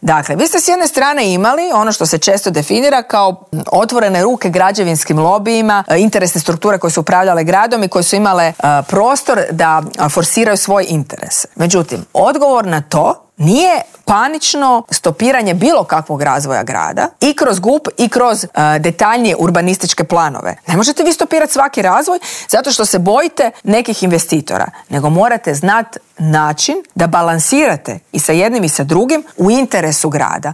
Dakle, vi ste s jedne strane imali ono što se često definira kao otvorene ruke građevinskim lobijima, interesne strukture koje su upravljale gradom i koje su imale prostor da forsiraju svoj interes. Međutim, odgovor na to nije panično stopiranje bilo kakvog razvoja grada i kroz GUP i kroz detaljnije urbanističke planove. Ne možete vi stopirati svaki razvoj zato što se bojite nekih investitora, nego morate znati način da balansirate i sa jednim i sa drugim u interesu grada.